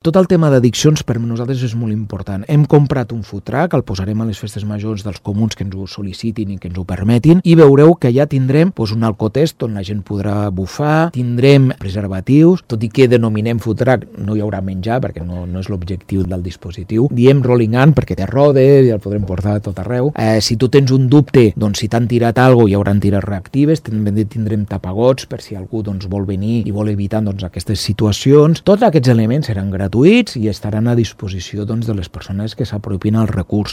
Tot el tema d'addiccions per nosaltres és molt important. Hem comprat un food truck, el posarem a les festes majors dels comuns que ens ho sol·licitin i que ens ho permetin, i veureu que ja tindrem un alcotest on la gent podrà bufar, tindrem preservatius, tot i que denominem food truck, no hi haurà menjar perquè no és l'objectiu del dispositiu. Diem rolling on perquè té rodes i el podrem portar a tot arreu. Si tu tens un dubte, doncs si t'han tirat alguna cosa hi hauran tires reactives, també tindrem tapagots per si algú vol venir i vol evitar aquestes situacions. Tots aquests elements seran gratuïts i estaran a disposició de les persones que s'apropin al recurs.